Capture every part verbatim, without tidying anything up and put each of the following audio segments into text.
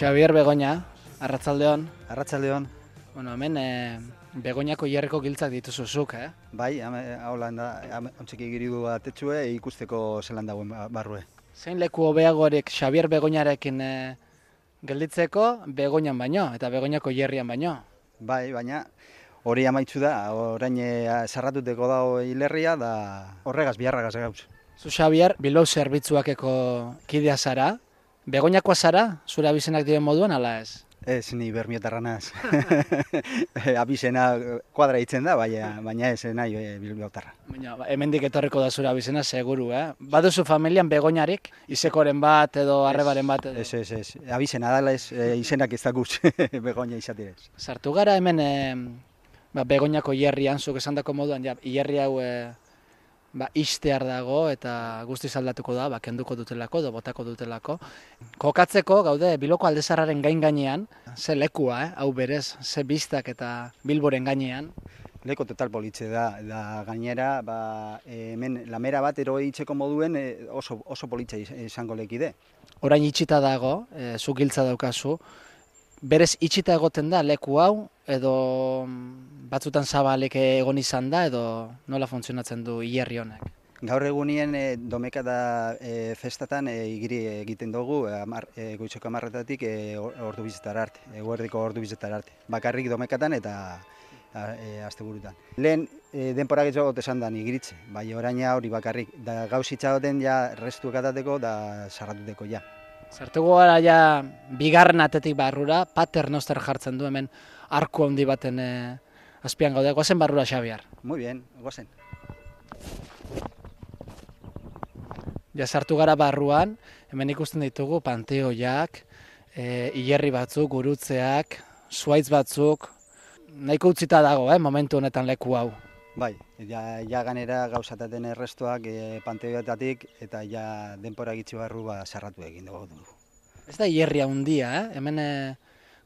Xabier Begoña, arratsaldeon. Arratsaldeon. Bueno, hemen e, Begoñako hierreko giltzak dituzuzuk, eh? Bai, haulan da, ontseki giridu atetxue ikusteko zelan dagoen barrue. Zein leku hobeagorik Xabier Begoñarekin e, gelditzeko Begoñan baino, eta Begoñako hierrian baino? Bai, baina hori amaitzu da, orain sarratuteko dago hilerria, da horregaz biharragaz gauz. Zu Xabier, Bilbao zerbitzuakeko kidea zara, Begoñakoa zara, zure abizenak diren moduan, ala ez? Ez, ni bermiotarra naz. Abizena kuadra hitzen da, baina, baina ez nahi e, bilbiotarra. Baina hemendik etorriko da zure abizena, seguru, eh? Baduzu familian Begoñarik, izekoren bat edo arrebaren bat edo? Ez, ez, ez. Abizena dala ez, e, izenak ez dakuz Begoña izatirez. Sartu gara hemen e, ba, Begoñako hierrian, zuk esandako moduan, ja, hierri hau e, ba, ixtear dago eta guztiz aldatuko da, ba, kenduko dutelako edo botako dutelako. Kokatzeko, gaude, Bilboko Aldezarraren gain gainean, ze lekua, eh? Hau berez, ze biztak eta Bilboren gainean. Leko total politxe da, da gainera, ba, hemen lamera bat eroi itxeko moduen oso, oso politxe izango lekide. Orain itxita dago, e, zu giltza daukazu, berez itxita egoten da leku hau, edo batzutan zabalek egon izan da, edo nola funtzionatzen du hierri honek? Gaur egunien e, domeka da e, festatan e, igiri egiten dugu amar, e, goizeko amarretatik e, ordu bizetara arte, eguerdiko ordu bizetara arte. Bakarrik domekatan eta e, asteburutan. Lehen e, denpora getxo esan da igiritze, bai oraina hori bakarrik. Da gauz itxagoten ja restu ekatateko da sarratuteko ja. Sartuko gara ja bigarren atetik barrura, paternoster jartzen du hemen arku handi baten e, azpian gaude. Goazen barrura, Xabier. Muy bien, goazen. Ja sartu gara barruan, hemen ikusten ditugu panteoiak, e, hilerri batzuk, gurutzeak, zuhaitz batzuk, nahiko utzita dago, eh, momentu honetan leku hau. Bai, ja, ja ganera gauzataten errestoak e, panteoetatik eta ja denpora gitxi barru ba, sarratu egin dugu. Ez da hilerria handia, eh? Hemen e,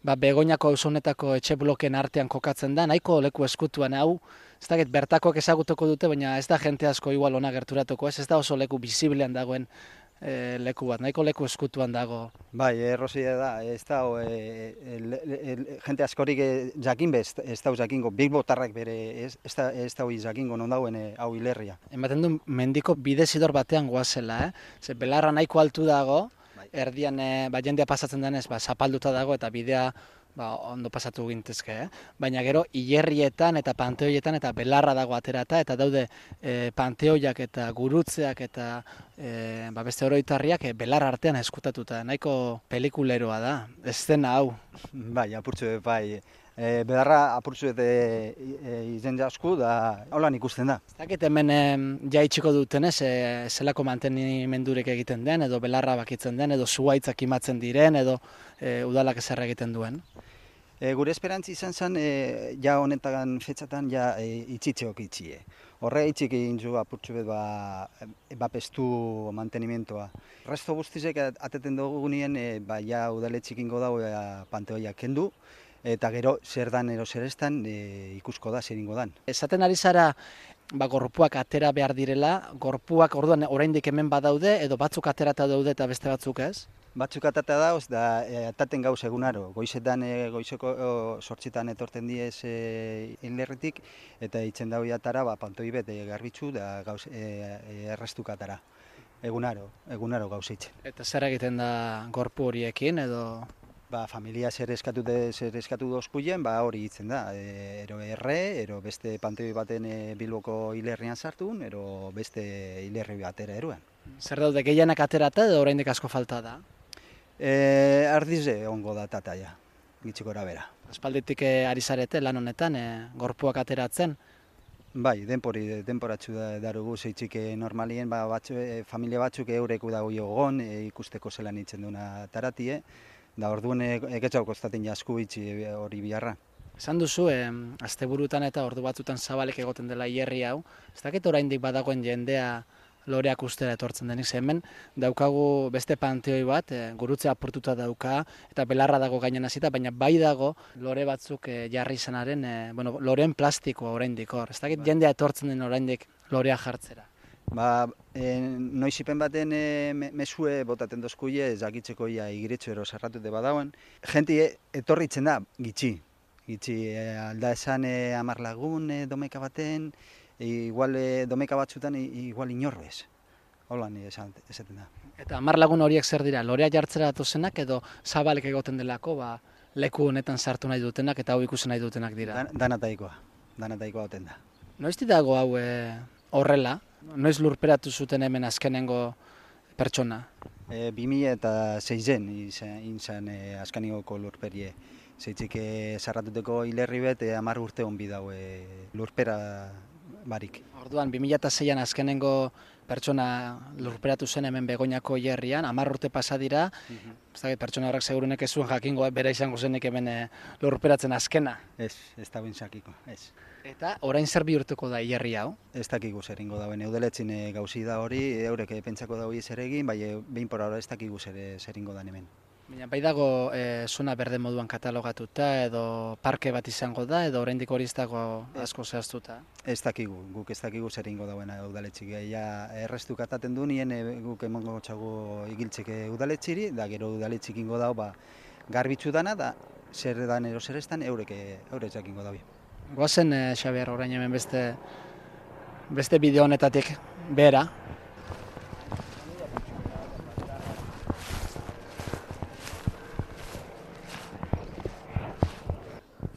ba, Begoñako auzonetako etxe bloken artean kokatzen da, nahiko leku eskutuan hau, ez da bertakoak ezagutuko dute, baina ez da jente asko igual ona gerturatuko, ez, ez da oso leku biziblean dagoen e, leku bat, nahiko leku eskutuan dago. Bai, errozia da, ez da, e, e, e, jente askorik e, jakin be, ez da jakingo, bilbotarrak bere, ez, ez da, ez da jakingo non dagoen e, hau hilerria. Ematen du mendiko bidezidor batean goazela, eh? Ze belarra nahiko altu dago, erdian e, ba, jendea pasatzen denez, ba, zapalduta dago eta bidea ba, ondo pasatu gintezke, eh? Baina gero hilerrietan eta panteoietan eta belarra dago aterata eta daude e, panteoiak eta gurutzeak eta e, ba, beste oroitarriak e, belarra artean eskutatuta, nahiko pelikuleroa da, eszena hau. Bai, apurtzu bai. E, bedarra apurtzu eta e, izen jasku da holan ikusten da. Ez dakit hemen e, jaitsiko dutenez, e, zelako mantenimendurek egiten den, edo belarra bakitzen den, edo zuhaitzak imatzen diren, edo e, udalak ezer egiten duen. E, gure esperantzi izan zen, e, ja honetan fetxatan ja e, itxitzeok itxie. Horre itxik egin zu apurtzu bet ba, bapestu mantenimentoa. Resto guztizek ateten dugu nien, e, ba, ja udaletxik ingo dago e, panteoiak kendu, eta gero zer dan ero zer estan e, ikusko da, zer ingo dan. Esaten ari zara, ba, gorpuak atera behar direla, gorpuak orduan oraindik hemen badaude, edo batzuk aterata daude eta beste batzuk ez? Batzuk atata dauz, da e, ataten gauz egunaro. Goizetan, e, goizeko sortzitan etorten diez e, hilerritik, eta itzen dau jatara, ba, pantoi bet e, garbitzu da gauz e, errestukatara. Egunaro, egunaro gauz eitzen. Eta zer egiten da gorpu horiekin, edo? Ba, familia zer eskatu, de, zer eskatu dozkuien, ba, hori hitzen da. E, ero erre, ero beste panteoi baten e, Bilboko hilerrian sartun, ero beste hilerri batera eruen. Zer daude, gehienak aterata edo oraindik asko falta da? E, ardize ongo da tata ja, gitxikora bera. Aspalditik e, ari zarete lan honetan, e, gorpuak ateratzen? Bai, denpori, denporatxu da darugu zeitzik normalien, ba, batzu, e, familia batzuk eurek dago jogon, e, ikusteko zelan itzen duna taratie, da orduan eketxau kostaten jasku itxi hori biharra. Esan duzu, eh, asteburutan eta ordu batzutan zabalek egoten dela hierri hau, ez dakit oraindik badagoen jendea loreak ustera etortzen denik, hemen daukagu beste panteoi bat, e, gurutze apurtuta dauka, eta belarra dago gainen hasita, baina bai dago lore batzuk e, jarri izanaren, e, bueno, loreen plastikoa oraindik hor. Ez dakit jendea etortzen den oraindik lorea jartzera. Ba, e, noizipen baten e, me- mesue botaten dozkuie, ez dakitzeko ia igiretxo ero sarratute badauen. Jenti e, etorritzen da, gitxi. Gitxi, e, alda esan e, amar lagun e, domeka baten, e, igual e, domeka batzutan, i- igual inorrez. Holan esan, esaten da. Eta hamar lagun horiek zer dira, lorea jartzera datozenak edo zabalek egoten delako, ba, leku honetan sartu nahi dutenak eta hau ikusi nahi dutenak dira. Dan, danataikoa, danataikoa oten da. Noizti dago hau e, horrela? Noiz lurperatu zuten hemen azkenengo pertsona? E, bi mila eta seizen izan, izan e, askanigoko lurperie. Zeitzik e, sarratuteko hilerri bet, e, amar urte hon bidau e, lurpera barik. Orduan, bi mila seian azkenengo pertsona lurperatu zen hemen Begoñako hilerrian, hamar urte pasa dira, ez dakit, pertsona horrek segurunek ez zuen jakingo bera izango zenik hemen e, lurperatzen azkena. Ez, ez da bintzakiko, ez. Eta orain zer bihurtuko da hilerri hau? Ez dakigu zer ingo dauen, eudeletzin e, gauzi da hori, eurek e, pentsako daui zer egin, bai e, behin por ahora ez dakigu zer, e, zer ingo dan hemen. Baina bai dago e, zona berde moduan katalogatuta edo parke bat izango da edo oraindik hori ez dago asko zehaztuta? Ez dakigu, guk ez dakigu zer ingo dauen udaletxik. Ja, errestu kataten du nien e, guk emongo txago igiltzek e, udaletxiri, da gero udaletxik ingo dau, ba, garbitzu dana, da zer dan ero zer estan eurek, e, eurek jakingo daui. Goazen, e, Xabier, orain hemen beste, beste bideo honetatik behera.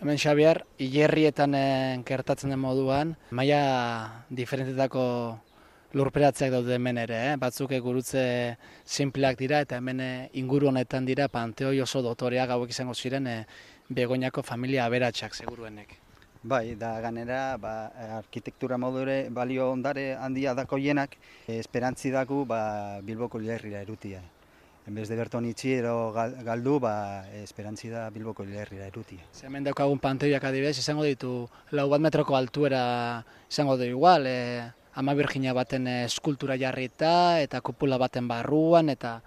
Hemen, Xabier, hilerrietan e, gertatzen den moduan, maila diferentetako lurperatzeak daude hemen ere, eh? Batzuk e, gurutze sinpleak dira eta hemen e, inguru honetan dira panteoi oso dotoreak hauek izango ziren e, Begoñako familia aberatsak seguruenek. Bai, da ganera, ba, arkitektura modure balio ondare handia dakoienak, e, esperantzi daku ba, Bilboko hilerrira erutia. Enbez de berton itxi ero gal- galdu, ba, esperantzi da Bilboko hilerrira erutia. Ze hemen daukagun panteoiak adibidez, izango ditu lau bat metroko altuera izango du igual, e, Ama Birjina baten e, eskultura jarrita eta kupula baten barruan eta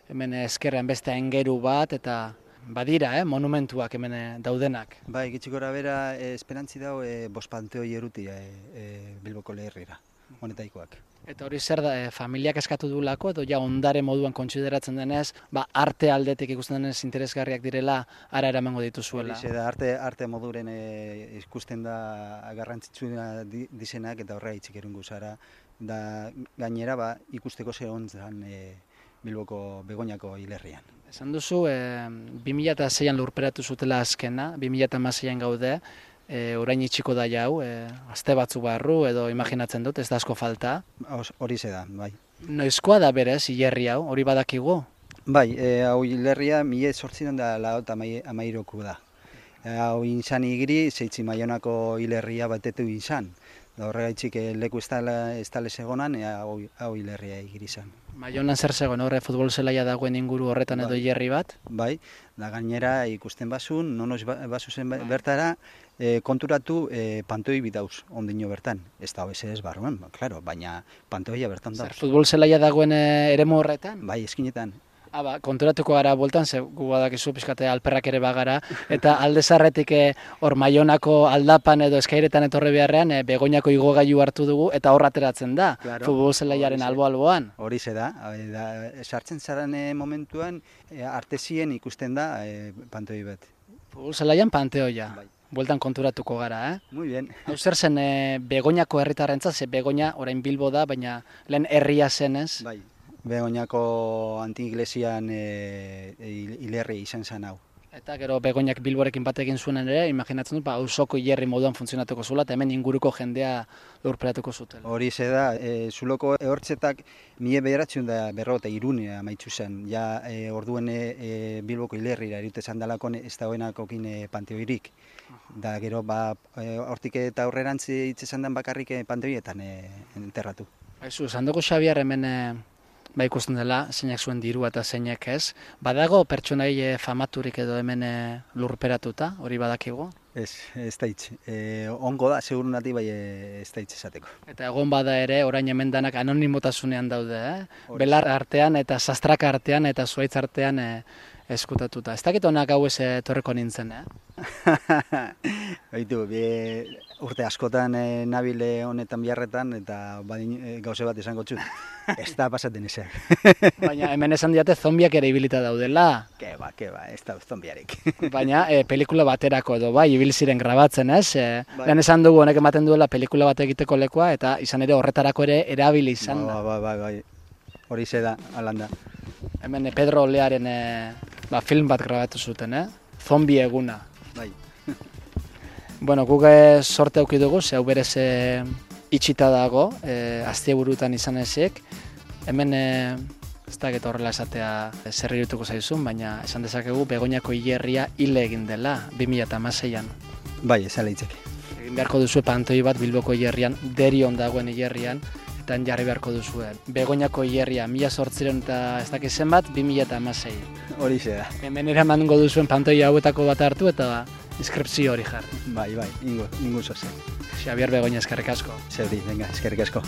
hemen ezkerrean beste aingeru bat eta badira, eh, monumentuak hemen e, daudenak. Bai, gitxik gora bera, e, esperantzi dau e, bost panteoi erutia e, e, Bilboko hilerrira, honetaikoak. Eta hori zer da, e, familiak eskatu dulako edo ja ondare moduan kontsideratzen denez, ba, arte aldetik ikusten denez interesgarriak direla ara eramango dituzuela. Horixe da, arte, arte moduren e, ikusten da garrantzitsua di, dizenak eta horrega itxik erungu zara. Da gainera ba, ikusteko ze hontzan e, Bilboko Begoñako hilerrian. Esan duzu, e, bi mila seian lurperatu zutela azkena, bi mila hamaseian gaude, e, orain itxiko da jau, e, aste batzu barru edo imaginatzen dut, ez da asko falta. Horixe da, bai. Noizkoa da berez, hilerri hau, hori badakigu? Bai, e, hau hilerria mila zortziehun da lau eta amairuko da. E, hau inzan igiri, zeitzi Maionako hilerria batetu inzan. Da horregaitzik e, leku ez tale segonan, e, hau, hau hilerria igiri izan. Maionan zer zegoen, horre futbol zelaia dagoen inguru horretan edo Bai. hilerri bat? Bai, da gainera ikusten basun, nonoz basu zen bertara, e, konturatu e, pantoi bidauz, ondino bertan. Ez da hoez ez barruan, ba, claro, baina pantoia bertan Zer, dauz. futbol zelaia dagoen e, eremu horretan? Bai, eskinetan. Ah, ba, konturatuko gara bueltan, ze gu badakizu pixkate alperrak ere bagara, eta alde zarretik e, hor Maionako aldapan edo eskairetan etorri beharrean, e, Begoñako igogailu hartu dugu, eta hor ateratzen da, Claro, futbol zelaiaren horixe. albo-alboan. Horixe da, e, da sartzen zaren e, momentuan, e, artesien ikusten da e, pantoi bet. Futbol zelaian panteoia. Bai. Bueltan konturatuko gara, eh? Muy bien. Hau zer zen e, Begoñako herritarrentzat, ze Begoña orain Bilbo da, baina lehen herria zenez. Bai. Begoñako anti-iglesian e, hilerri izan zen hau. Eta gero Begoñak Bilborekin bat egin zuen ere, imaginatzen dut, ba, auzoko hilerri moduan funtzionatuko zuela, eta hemen inguruko jendea lurperatuko zutela. Horixe da, e, zuloko ehortzetak mila bederatzen da berro eta irune amaitzu zen. Ja e, orduen e, e, Bilboko hilerrira erute zandalakon ez dagoenakokin e, panteoirik. Da gero, ba, e, hortik eta aurrerantzi itzesan den bakarrik e, panteoietan e, enterratu. Haizu, esan dugu Xabier hemen e, ba ikusten dela, zeinak zuen dirua eta zeinak ez. Badago pertsonai e, famaturik edo hemen e, lurperatuta, hori badakigu? Ez, ez da hitz. E, ongo da, seguru nati bai e, ez da hitz esateko. Eta egon bada ere, orain hemen danak anonimotasunean daude, eh? Horixe. Belar artean eta sastraka artean eta zuaitz artean eh, eskutatuta. Ez dakit honak hau ez etorreko nintzen, eh? Baitu, bi, urte askotan e, nabile honetan biharretan eta badin, e, gauze bat esango txut. Ez da pasaten ezeak. Baina hemen esan diate zombiak ere ibilita daudela. Ke ba, ke ba, ez da zombiarik. Baina e, pelikula baterako edo bai, ibil ziren grabatzen, ez? E, Bai. Lehen esan dugu honek ematen duela pelikula bat egiteko lekua eta izan ere horretarako ere erabili izan da. Bai, bai, bai, bai. Hori ze da, alanda. Hemen e, Pedro Olearen e, ba, film bat grabatu zuten, eh? Zombi eguna. Bai. Bueno, guk e, sorte auki dugu, ze hau berez e, itxita dago, e, asteburutan izan ezik. Hemen e, ez da eta horrela esatea e, zer irutuko zaizun, baina esan dezakegu Begoñako hilerria hile egin dela, bi mila hamaseian. Bai, ez ala hitzeke. Egin beharko duzue pantoi bat Bilboko hilerrian, Derion dagoen hilerrian, eta jarri beharko duzue. Begoñako hilerria, mila zortziehun eta ez dakit zenbat, bi mila hamasei. Hori ze da. Hemen eramango duzuen pantoi hauetako bat hartu eta inskripzio hori jarri. Bai, bai, ingo, ingo zozen. Xabier Begoña, eskerrik asko. Zeuri, venga, eskerrik asko.